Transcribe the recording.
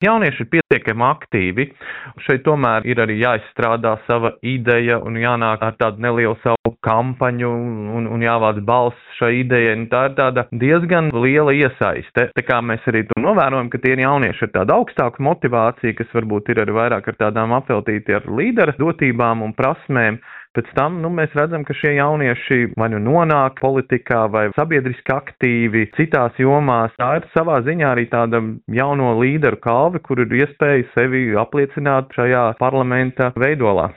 Jaunieši ir pietiekami aktīvi. Šeit tomēr ir arī jāizstrādā sava ideja un jānāk ar tādu nelielu savu kampaņu un jāvāc balss šai idejai. Tā ir tāda diezgan liela iesaiste. Tā kā mēs arī to novērojam, ka tie jaunieši ar tādu augstāku motivāciju, kas varbūt ir arī vairāk ar tādām apveltīti ar līdera dotībām un prasmēm. Pēc tam mēs redzam, ka šie jaunieši vai nu nonāk politikā vai sabiedriski aktīvi citās jomās. Tā ir savā ziņā arī tāda jauno līderu kalve, kur ir iespēja sevi apliecināt šajā parlamenta veidolā.